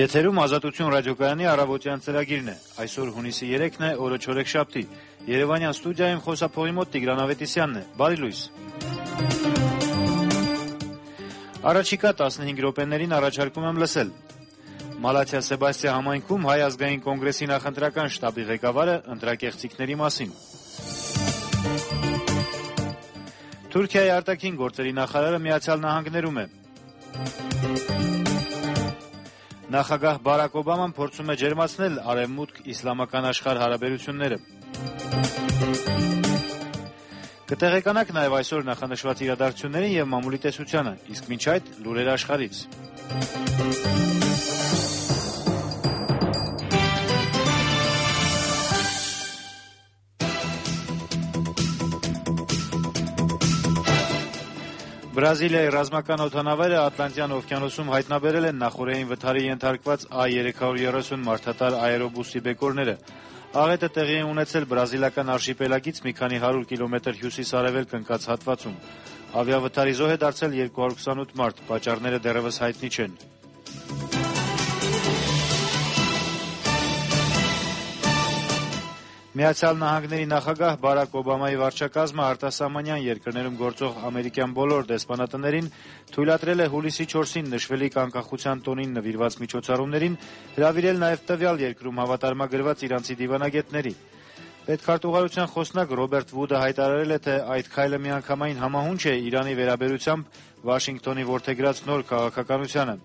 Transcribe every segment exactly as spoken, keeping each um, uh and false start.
Եթերում Ազատություն ռադիոկայանի առավոտյան ծրագիրն է։ Այսօր հունիսի երեքն է, օրը չորեքշաբթի։ Երևանյան ստուդիայում խոսափողի մոտ Տիգրան Ավետիսյանն է։ Բարի լույս։ Առաջիկա տասնհինգ րոպեներին առաջարկում եմ լսել. Մալաթիա Սեբաստիա համայնքում Հայ ազգային կոնգրեսի նախընտրական շտաբի ղեկավարը ընտրակեղծիքների մասին։ Թուրքիայի արտաքին գործերի նախարարը Միացյալ Նահանգներում է։ Նախագահ Բարակ Օբաման փորձում է ջերմացնել արևմուտք-իսլամական աշխարհ հարաբերությունները։ Կտեղեկանաք նաև այսօր նախանշված իրադարձություններին եւ մամուլի տեսությանը, իսկ մինչ այդ լուրեր աշխարհից։ Բրազիլիայի ռազմական օդանավերը Ատլանտյան օվկիանոսում հայտնաբերել են նախօրեին վթարի ենթարկված A երեք երեսուն մարդատար աերոբուսի բեկորները։ Աղետը տեղի է ունեցել բրազիլական արշիպելագից մի քանի հարյուր կիլոմետր հյուսիս-արևելք ընկած հատվածում։ Ավիավթարի զոհ է դարձել երկու հարյուր քսանութ մարդ, պատճառները դեռևս հայտնի չեն։ Միացյալ Նահանգների նախագահ Բարակ Օբամայի վարչակազմը արտասահմանյան երկրներում գործող ամերիկյան բոլոր դեսպանատներին թույլատրել է հուլիսի չորսին նշվելիք անկախության տոնին նվիրված միջոցառումներին հրավիրել նաև տվյալ երկրում հավատարմագրված իրանցի դիվանագետների։ Պետքարտուղարության խոսնակ Ռոբերտ Վուդը հայտարարել է, թե այդ քայլը միանգամայն համահունչ է Իրանի վերաբերությամբ Վաշինգտոնի որդեգրած նոր քաղաքականությանը։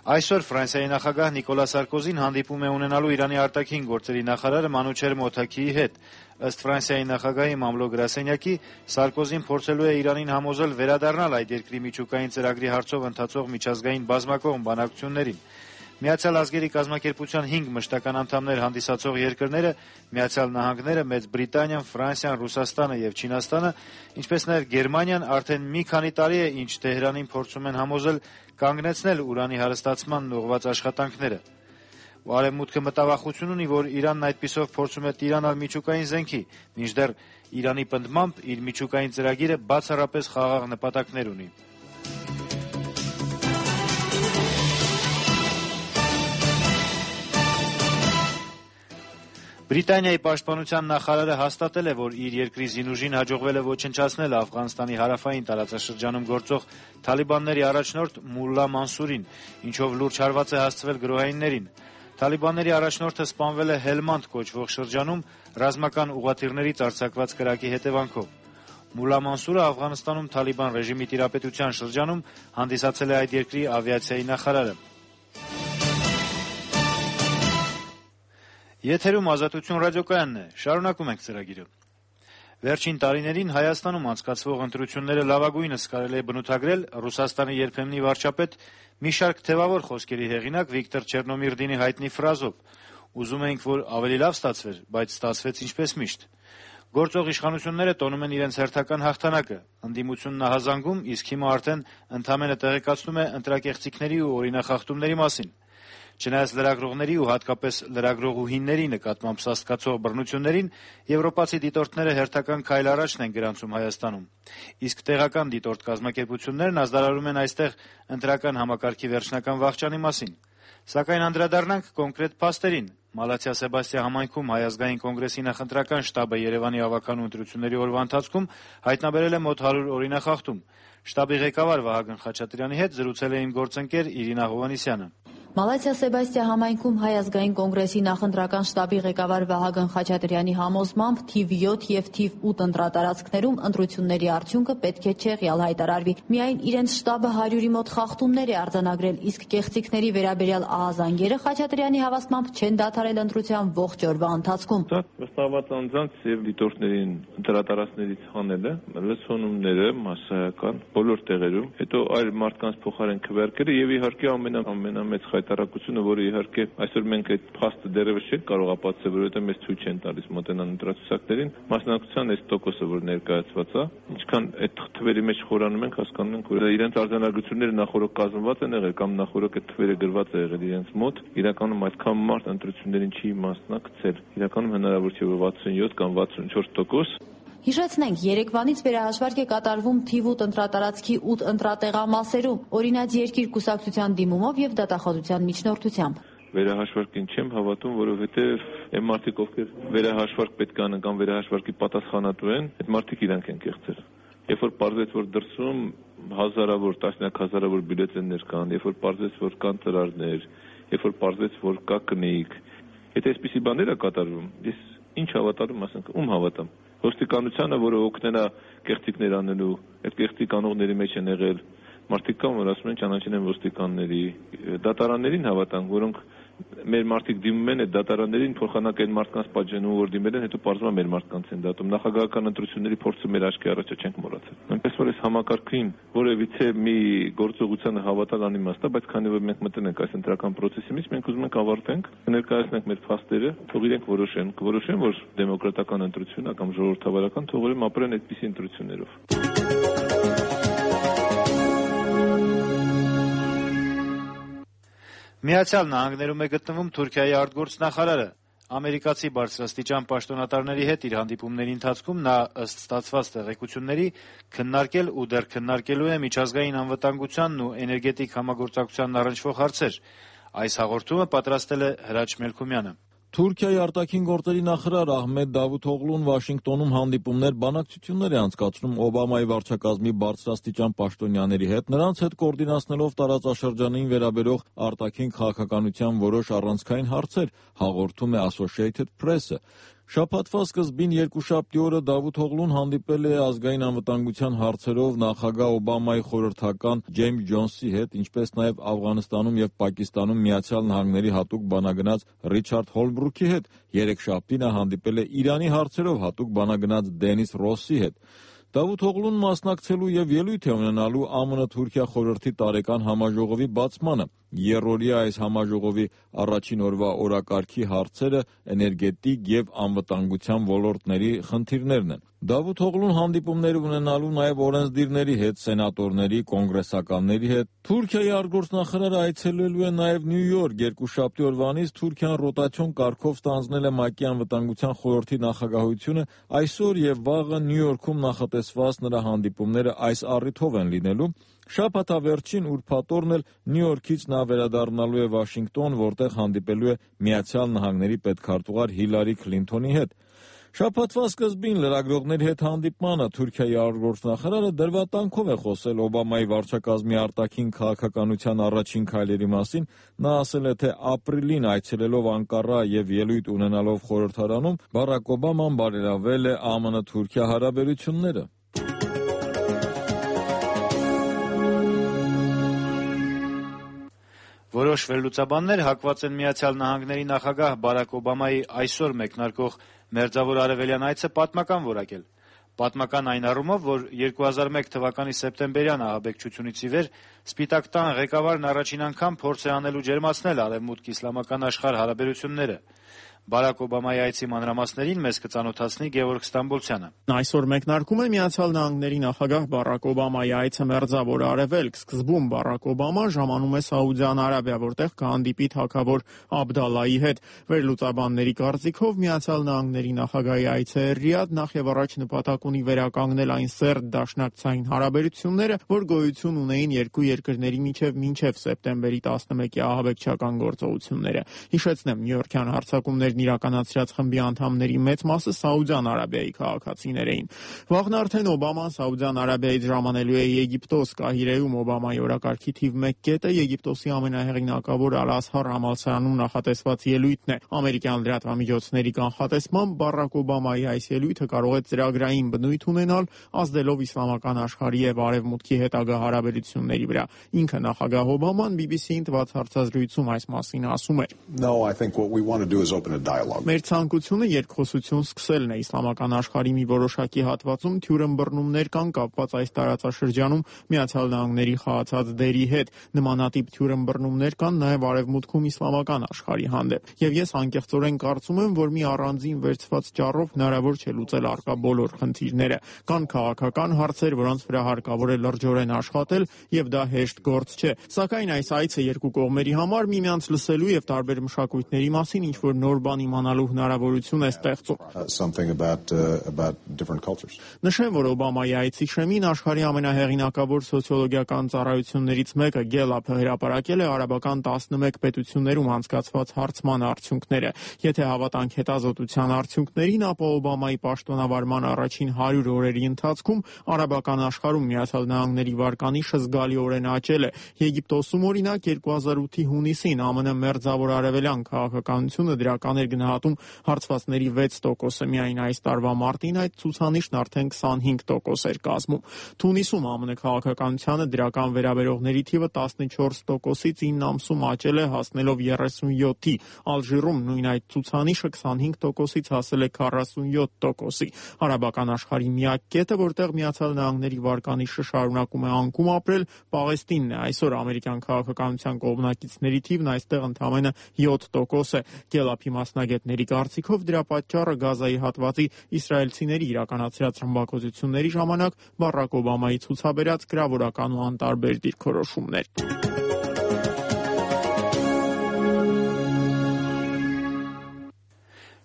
Այսօր Ֆրանսիայի նախագահ Նիկոլա Սարկոզին հանդիպում է ունենալու Իրանի արտաքին գործերի նախարար Մանուչեր Մոթաքիի հետ։ Ըստ Ֆրանսիայի նախագահի մամլո գրասենյակի, Սարկոզին փորձելու է Իրանին համոզել վերադառնալ այդ երկրի միջուկային ծրագրի հարցով ընթացող միջազգային բազմակողմ բանակցություններին։ Միացյալ ազգերի կազմակերպության հինգ մշտական անդամներ հանդիսացող երկրները՝ Միացյալ Նահանգները, Մեծ Բրիտանիան, Ֆրանսիան, Ռուսաստանը եւ Չինաստանը, ինչպես նաեւ Գերմանիան արդեն մի քանի տարի է, ինչ Թեհրանին փորձում են համոզել կանգնեցնել ուրանի հարստացման ուղղված աշխատանքները։ Արևմուտքը մտավախություն ունի, որ Իրանն այդպիսով փորձում է տիրանալ միջուկային զենքի, մինչդեռ Իրանի պնդմամբ իր միջուկային ծրագիրը բացառապես խաղաղ նպատակներ ունի։ Բրիտանիայի պաշտպանության նախարարը հաստատել է, որ իր երկրի զինուժին հաջողվել է ոչնչացնել Աֆղանստանի հարավային տարածաշրջանում գործող թալիբանների առաջնորդ Մուլլա Մանսուրին, ինչով լուրջ հարված է հասցվել գրոհայիններին։ Թալիբանների առաջնորդը սպանվել է Հելմանդ կոչվող շրջանում ռազմական ուղղաթիռներից արձակված կրակի հետևանքով։ Մուլլա Մանսուրը Աֆղանստանում Թալիբան ռեժիմի տիրապետության շրջանում հանդիսացել է այդ երկրի ավիացիայի նախարարը։ Եթերում Ազատություն ռադիոկայանն է, շարունակում ենք ծրագիրը։ Վերջին տարիներին Հայաստանում անցկացվող ընտրությունները լավագույնս կարելի է բնութագրել Ռուսաստանի երբեմնի վարչապետ մի շարք թևավոր խոսքերի հեղինակ Վիկտոր Չեռնոմիրդինի հայտնի ֆրազով. «Ուզում էինք, որ ավելի լավ ստացվեր, բայց ստացվեց ինչպես միշտ»։ Գործող իշխանությունները տոնում են իրենց հերթական հաղթանակը, ընդդիմությունն ահազանգում, իսկ հիմա արդեն ընդամենը տեղեկացնում է ընտրակեղծիքների ու օրինախախտումների մասին։ Չնայած լրագրողների ու հատկապես լրագրողուհիների նկատմամբ սաստկացող բռնություններին, եվրոպացի դիտորդները հերթական քայլ առաջն են գրանցում Հայաստանում։ Իսկ տեղական դիտորդ կազմակերպություններն ազդարարում են այստեղ ընտրական համակարգի վերջնական վախճանի մասին։ Սակայն անդրադառնանք կոնկրետ փաստերին։ Մալաթիա Սեբաստիա համայնքում Հայ ազգային կոնգրեսի նախընտրական շտաբը Երևանի ավականու ընտրությունների օրվա ընթացքում հայտնաբերել է մոտ հարյուր օրինախախտում։ Շտաբի ղեկավար Վահագն Խաչատրյանի հետ զրուցել է իմ գործընկեր Իրինա Հովհաննիսյանը։ Մալաթիա Սեբաստիա համայնքում Հայ ազգային կոնգրեսի նախընտրական շտաբի ղեկավար Վահագն Խաչատրյանի համոզմամբ թիվ յոթ եւ թիվ ութ ընտրատարածքներում ընտրությունների արդյունքը պետք է չեղյալ հայտարարվի։ Միայն իրենց շտաբը հարյուրի մոտ խախտումներ է արձանագրել, իսկ կեղծիքների վերաբերյալ ահազանգերը Խաչատրյանի հավաստմամբ չեն դադարել ընտրության ողջ օրվա ընթացքում։ Դա վստահված անձանց եւ դիտորդներին ընտրատարածքներից հանելը, լսոնումները մասսայական բոլոր տեղերում, հետո այլ մարդկանց փոխարեն քվերքերը եւ իհարկե ամենա ամենամեծ հայտարարությունը, որը իհարկե այսօր մենք այդ փաստը դեռևս չենք կարող ապացուցել, որովհետեւ մեզ ցույց չեն տալիս մոտենան ընտրացուցակներին, մասնակցության այս տոկոսը, որ ներկայացված է, ինչքան այդ թվերի մեջ խորանում ենք, հասկանում ենք, որ իրենց արձանագրությունները նախորդ կազմված են եղել կամ նախորդ այդ թվերը գրված է եղել իրենց մոտ, իրականում այդքան մարդ ընտրություններին չի մասնակցել։ Իրականում հնարավոր չէ որ վաթսունյոթ կամ վաթսունչորս տոկոս Հիշեցնենք, երեկվանից վերահաշվարկ է կատարվում թիվ ութ ընտրատարածքի ութ ընտրատեղամասերում, օրինաց երկիր կուսակցության դիմումով եւ դատախազության միջնորդությամբ։ Վերահաշվարկին չեմ հավատում, որովհետեւ այն մարդիկ, ովքեր վերահաշվարկ պետք է անեն կամ վերահաշվարկի պատասխանատու են, այդ մարդիկ իրանք են կեղծել։ Երբ որ պարզեց, որ դրսում հազարավոր, տասնյակ հազարավոր բյուլետեններ կան, երբ որ պարզեց, որ կան ծրարներ, երբ որ պարզեց, որ կա կնիկ, եթե այսպիսի բաներ է կատարվում, ես ինչ հավատալու, ասենք, ում հավատամ։ Ոստիկանությանը, որը օգնելա կեղծիքներ անելու, այդ կեղծիք անողների մեջ են եղել մարդիկ կան, որ ասում են ճանաչեն են ոստիկանների, դատարաններին հավատանք, որոնք մեր մարդիկ դիմում են այդ դատարաններին, փոխանակ այն մարդկանց պատժեն, որ դիմել են, հետո պարզվում է մեր մարդկանց են դատում։ Նախագահական ընտրությունների փորձը մեր աչքի առաջ չենք մոռացել։ Այնպես որ այս համակարգին որևիցե մի գործողությանը հավատալ անիմաստ է, բայց քանի որ մենք մտել ենք այս ընտրական process-ի մեջ, մենք ուզում ենք ավարտենք, ներկայացնենք մեր փաստերը, թող իրենք որոշեն, կորոշեն, որ դեմոկրատական ընտրություն է կամ ժողովրդավարական, թող ուրեմն ապրեն այդպիսի ընտրություններով։ Միացյալ Նահանգներում է գտնվում Թուրքիայի արտգործնախարարը։ Ամերիկացի բարձրաստիճան պաշտոնատարների հետ իր հանդիպումների ընթացքում նա ըստ ստացված տեղեկությունների քննարկել ու դեռ քննարկելու է միջազգային անվտանգությանն ու էներգետիկ համագործակցությանն առնչվող հարցեր։ Այս հաղորդումը պատրաստել է Հրաչ Մելքումյանը։ Թուրքիայի արտաքին գործերի նախարար Ահմեդ Դավութօղլուն Վաշինգտոնում հանդիպումներ, բանակցություններ է անցկացնում Օբամայի վարչակազմի բարձրաստիճան պաշտոնյաների հետ, նրանց հետ կոորդինացնելով տարածաշրջանային վերաբերող արտաքին քաղաքականության որոշ առանցքային հարցեր, հաղորդում է Associated Press-ը։ Շաբաթվա սկզբին երկուշաբթի օրը Դավութօղլուն հանդիպել է ազգային անվտանգության հարցերով նախագահ Օբամայի խորհրդական Ջեյմս Ջոնսի հետ, ինչպես նաև Աֆղանստանում եւ Պակիստանում Միացյալ Նահանգների հատուկ բանագնաց Ռիչարդ Հոլբրուքի հետ։ Երեքշաբթի նա հանդիպել է Իրանի հարցերով հատուկ բանագնաց Դենիս Ռոսի հետ։ Դավութօղլուն մասնակցելու եւ ելույթ է ունենալու ԱՄՆ-Թուրքիա խորհրդի տարեկան համաժողովի բացմանը։ Երրորդյա այս համաժողովի առաջին օրվա օրակարգի հարցերը էներգետիկ եւ անվտանգության ոլորտների խնդիրներն են։ Դավութօղլուն հանդիպումներ ունենալու նաև օրենսդիրների հետ, սենատորների, կոնգրեսականների հետ։ Թուրքիայի արտգործնախարարը այցելելու է նաև Նյու Յորք։ Երկուշաբթի օրվանից Թուրքիան ռոտացիոն կարգով ստանձնել է ՄԱԿ-ի անվտանգության խորհրդի նախագահությունը։ Այսօր եւ վաղը Նյու Յորքում նախատեսված նրա հանդիպումները այս առիթով են լինելու։ Շաբաթավերջին ուրբաթ օրն էլ Նյու Յորքից նա վերադառնալու է Վաշինգտոն, որտեղ հանդիպելու է Միացյալ Նահանգների պետքարտուղար Հիլարի Քլինթոնի հետ։ Շաբաթվա սկզբին լրագրողների հետ հանդիպմանը Թուրքիայի արտգործնախարարը դրվատանքով է խոսել Օբամայի վարչակազմի արտաքին քաղաքականության առաջին քայլերի մասին։ Նա ասել է, թե ապրիլին այցելելով Անկարա եւ ելույթ ունենալով խորհրդարանում Բարակ Օբաման բարելավել է ԱՄՆ-Թուրքիա հարաբերությունները։ Որոշ վերլուծաբաններ հակված են Միացյալ Նահանգների նախագահ Բարակ Օբամայի այսօր մեկնարկող Մերձավոր Արևելյան այցը պատմական որակել։ Պատմական այն առումով, որ երկու հազար մեկ թվականի սեպտեմբերյան ահաբեկչությունից ի վեր Սպիտակ տան ղեկավարն առաջին անգամ փորձ է անելու ջերմացնել արևմուտք-իսլամական աշխարհ հարաբերությունները։ Բարակ Օբամայի այցի մանրամասներին մեզ կծանոթացնի Գևորգ Ստամբոլցյանը։ Այսօր մեկնարկում է Միացյալ Նահանգների նախագահ Բարակ Օբամայի այցը Մերձավոր Արևելք։ Սկզբում Բարակ Օբաման ժամանում է Սաուդյան Արաբիա, որտեղ կհանդիպի թագավոր Աբդալլայի հետ։ Վերլուծաբանների կարծիքով Միացյալ Նահանգների նախագահի այցը Ռիադ նախ եւ առաջ նպատակ ունի վերականգնել այն սերտ դաշնակցային հարաբերությունները, որ գոյություն ունեին երկու երկրների միջև մինչև սեպտեմբերի տասնմեկի ահաբեկչական գործողությունները։ Հիշեցնեմ, Նյու-Յորքյան հարձակումներ իրականացրած խմբի անդամների մեծ մասը Սաուդյան Արաբիայի քաղաքացիներ էին։ Վաղն արդեն Օբաման Սաուդյան Արաբիայից ժամանելու է Եգիպտոս։ Կահիրեում Օբամայի օրակարգի թիվ մեկ կետը Եգիպտոսի ամենահեղինակավոր Ալ-Ազհար համալսարանում նախատեսված ելույթն է։ Ամերիկյան լրատվամիջոցների կանխատեսմամբ Բարակ Օբամայի այս ելույթը կարող է ծրագրային բնույթ ունենալ, ազդելով իսլամական աշխարհի եւ արևմուտքի հետագա հարաբերությունների վրա։ Ինքը նախագահ Օբաման բի բի սի-ին տված հարցազրույցում այս մասին ասում էր. Մեր ցանկությունը երկխոսություն սկսելն է։ Իսլամական աշխարհի մի որոշակի հատվածում թյուրըմբռնումներ կան կապված այս տարածաշրջանում Միացյալ Նահանգների խաղացած դերի հետ։ Նմանատիպ թյուրըմբռնումներ կան նաև արևմուտքում իսլամական աշխարհի հանդեպ։ Եվ ես անկեղծորեն կարծում եմ, որ մի առանձին վերցված ճառով հնարավոր չէ լուծել առկա բոլոր խնդիրները։ Կան քաղաքական հարցեր, որոնց վրա հարկավոր է լրջորեն աշխատել, եւ դա հեշտ գործ չէ։ Սակայն այս այցը երկու կողմերի համար միմյանց լսելու եւ տարբեր մշակույթների մասին ինչ-որ նոր բաներ բան իմանալու հնարավորություն է ստեղծում։ Նշեմ, որ Օբամայի այցի շեմին աշխարհի ամենահեղինակավոր սոցիոլոգիական ծառայություններից մեկը Գելափը հրապարակել է արաբական տասնմեկ պետություններում անցկացված հարցման արդյունքները։ Եթե հավատանք հետազոտության արդյունքներին, ապա Օբամայի պաշտոնավարման առաջին հարյուր օրերի ընթացքում արաբական աշխարհում Միացյալ Նահանգների վարկանիշը զգալիորեն աճել է։ Եգիպտոսում, օրինակ, երկու հազար ութի հունիսին ԱՄՆ մերձավոր արևելյան քաղաքականությունը դրական էր գնահատում հարցվածների վեց տոկոսը, միայն այս տարվա մարտին այդ ցուցանիշն արդեն քսանհինգ տոկոս էր կազմում։ Թունիսում ԱՄՆ քաղաքականությանը դրական վերաբերողների թիվը տասնչորս տոկոսից ինը ամսում աճել է, հասնելով երեսունյոթի։ Ալժիրում նույն այդ ցուցանիշը քսանհինգ տոկոսից հասել է քառասունյոթ տոկոսի։ Արաբական աշխարհի միակ կետը, որտեղ Միացյալ Նահանգների վարկանիշը շարունակում է անկում ապրել, Պաղեստինն է։ Այսօր ամերիկյան քաղաքականության կողմնակիցների թիվն այստեղ ընդամենը յոթ տոկոս է։ Գելափի մասնագետների կարծիքով դրա պատճառը Գազայի հատվածի իսրայելցիների իրականացրած ռմբակոծությունների ժամանակ Բարակ Օբամայի ցուցաբերած գրավորական ու անտարբեր դիրքորոշումներ։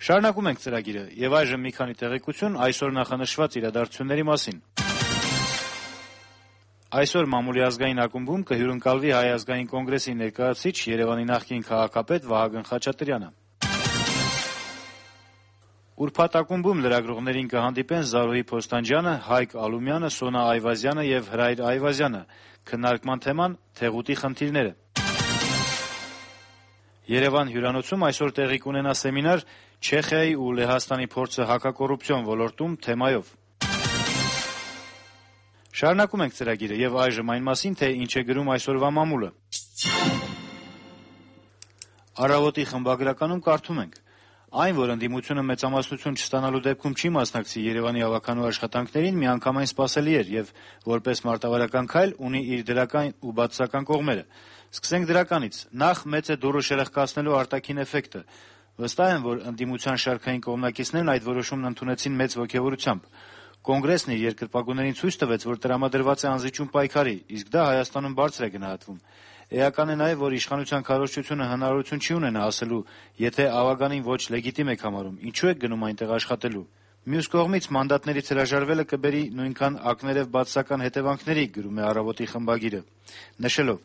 Շարունակում ենք ծրագիրը եւ այժմ մի քանի տեղեկություն այսօր նախանշված իրադարձությունների մասին։ Այսօր Մամուլի ազգային ակումբում կհյուրընկալվի Հայ ազգային կոնգրեսի ներկայացուցիչ Երևանի նախկին քաղաքապետ Վահագն Խաչատրյանը։ Ուրբաթ ակումբում լրագրողներին կհանդիպեն Զարուհի Փոստանջյանը, Հայկ Ալումյանը, Սոնա Այվազյանը եւ Հրայր Այվազյանը։ Քննարկման թեման թեղուտի խնդիրները։ Երևան հյուրանոցում այսօր տեղի կունենա սեմինար Չեխիայի ու Լեհաստանի փորձը հակակոռուպցիոն ոլորտում թեմայով։ Շարունակում ենք ծրագիրը եւ այժմ այն մասին, թե ինչ է գրում այսօրվա մամուլը։ Առավոտի խմբագրականում կարդում ենք. Այն, որ ընդդիմությունը մեծամասնություն չստանալու դեպքում չի մասնակցի Երևանի ավականու աշխատանքներին, միանգամայն սպասելի էր եւ որպես մարտավարական քայլ ունի իր դրական ու բացասական կողմերը։ Սկսենք դրականից։ Նախ մեծ է դուռը շերեղկացնելու արտաքին էֆեկտը։ Վստահ եմ, որ ընդդիմության շարքային կողմնակիցներն այդ որոշումն ընդունեցին մեծ ոգևորությամբ։ Կոնգրեսն իր երկրպագուներին ցույց տվեց, որ տրամադրված է անզիջում պայքարի, իսկ դա Հայաստանում բարձր է գնահատվում։ Էական է նաև, որ իշխանության քարոզչությունը հնարավորություն չի ունենա ասելու, եթե ավագանին ոչ լեգիտիմ եք համարում, ինչու եք գնում այնտեղ աշխատելու։ Մյուս կողմից մանդատներից հրաժարվելը կբերի նույնքան ակներև բացասական հետևանքների, գրում է «Առավոտի» խմբագիրը, նշելով.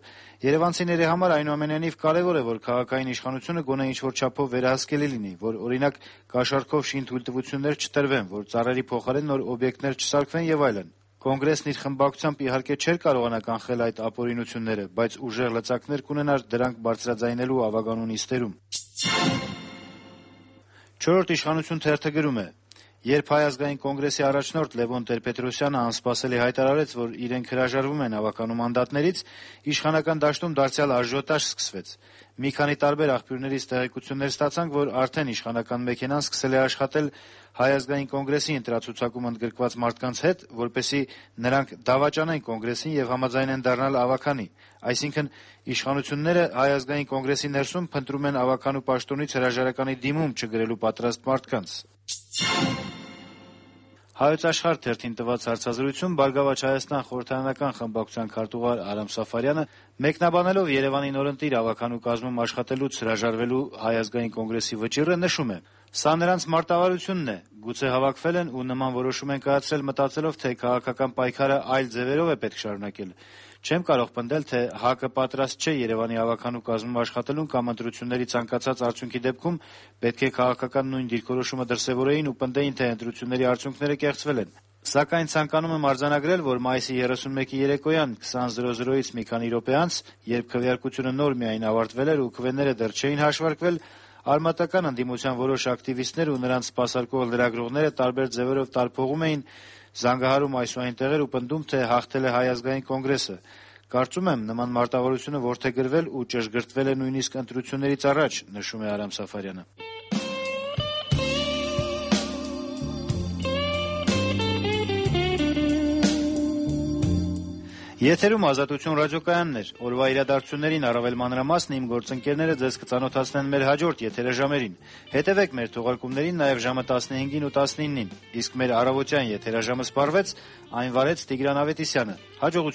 Երևանցիների համար այնուամենայնիվ կարևոր է, որ քաղաքային իշխանությունը գոնե ինչ-որ չափով վերահսկելի լինի, որ օրինակ կաշառքով շին թույլտվություններ չտրվեն, որ ծառերի փոխարեն նոր օբյեկտներ չսարքվեն եւ այլն։ Կոնգրեսն իր խմբակցությամբ իհարկե չէր կարողանա կանխել այդ ապօրինությունները, բայց ուժեղ լծակներ կունենար դրանք բարձրաձայնելու ավագանու նիստերում։ Չորրորդ իշխանություն թերթը գրում է. Երբ Հայ ազգային կոնգրեսի առաջնորդ Լևոն Տեր-Պետրոսյանը անսպասելի հայտարարեց, որ իրենք հրաժարվում են ավականու մանդատներից, իշխանական դաշտում դարձյալ աժիոտաժ սկսվեց։ Մի քանի տարբեր աղբյուրներից տեղեկություններ ստացանք, որ արդեն իշխանական մեքենան սկսել է աշխատել Հայ ազգային կոնգրեսի ընտրացուցակում ընդգրկված մարդկանց հետ, որպեսզի նրանք դավաճանեն կոնգրեսին եւ համաձայնեն դառնալ ավականի։ Այսինքն իշխանությունները Հայ ազգային կոնգրեսի ներսում փնտրում են ավականու պաշտոնից հրաժարականի դիմում չգրելու պատրաստ մարդկանց։ Հայոց Աշխարհ թերթին տված հարցազրույցում Բարգավաճ Հայաստան խորհրդարանական խմբակցության քարտուղար Արամ Սաֆարյանը մեկնաբանելով Երևանի նորընտիր ավականու կազմում աշխատելուց հրաժարվելու Հայ ազգային կոնգրեսի վճիռը նշում է. Սա նրանց մարտավարությունն է, գուցե հավաքվել են ու նման որոշում են կայացրել մտածելով, թե քաղաքական պայքարը այլ ձևերով է պետք շարունակել։ Չեմ կարող պնդել, թե ՀԱԿ-ը պատրաստ չէ Երևանի ավականու կազմում աշխատելուն կամ ընտրությունների ցանկացած արդյունքի դեպքում պետք է քաղաքական նույն դիրքորոշումը դրսևորեին ու պնդեին, թե ընտրությունների արդյունքները կեղծվել են։ Սակայն ցանկանում եմ արձանագրել, որ մայիսի երեսունմեկի երեկոյան քսան ից մի քանի րոպե անց, երբ քվեարկությունը նոր միայն ավարտվել էր ու քվեները դեռ չէին հաշվարկվել, արմատական ընդդիմության որոշ ակտիվիստներ ու նրանց սպասարկող լրագրողները տարբեր ձևերով տարփողում էին, զանգահարում այս ու այն տեղեր ու պնդում, թե հաղթել է Հայ ազգային կոնգրեսը։ Կարծում եմ, նման մարտավարությունը որդեգրվել ու ճշգրտվել է նույնիսկ ընտրություններից առաջ, նշում է Արամ Սաֆարյանը։ Եթերում Ազատություն ռադիոկայանն էր։ Օրվա իրադարձություններին առավել մանրամասն իմ գործընկերները ձեզ կծանոթացնեն մեր հաջորդ եթերաժամերին։ Հետևեք մեր թողարկումներին նաև ժամը տասնհինգին ու տասնինին, իսկ մեր առավոտյան եթերաժամը սպառվեց, այն վարեց Տիգրան Ավետիսյանը։ Հաջողություն։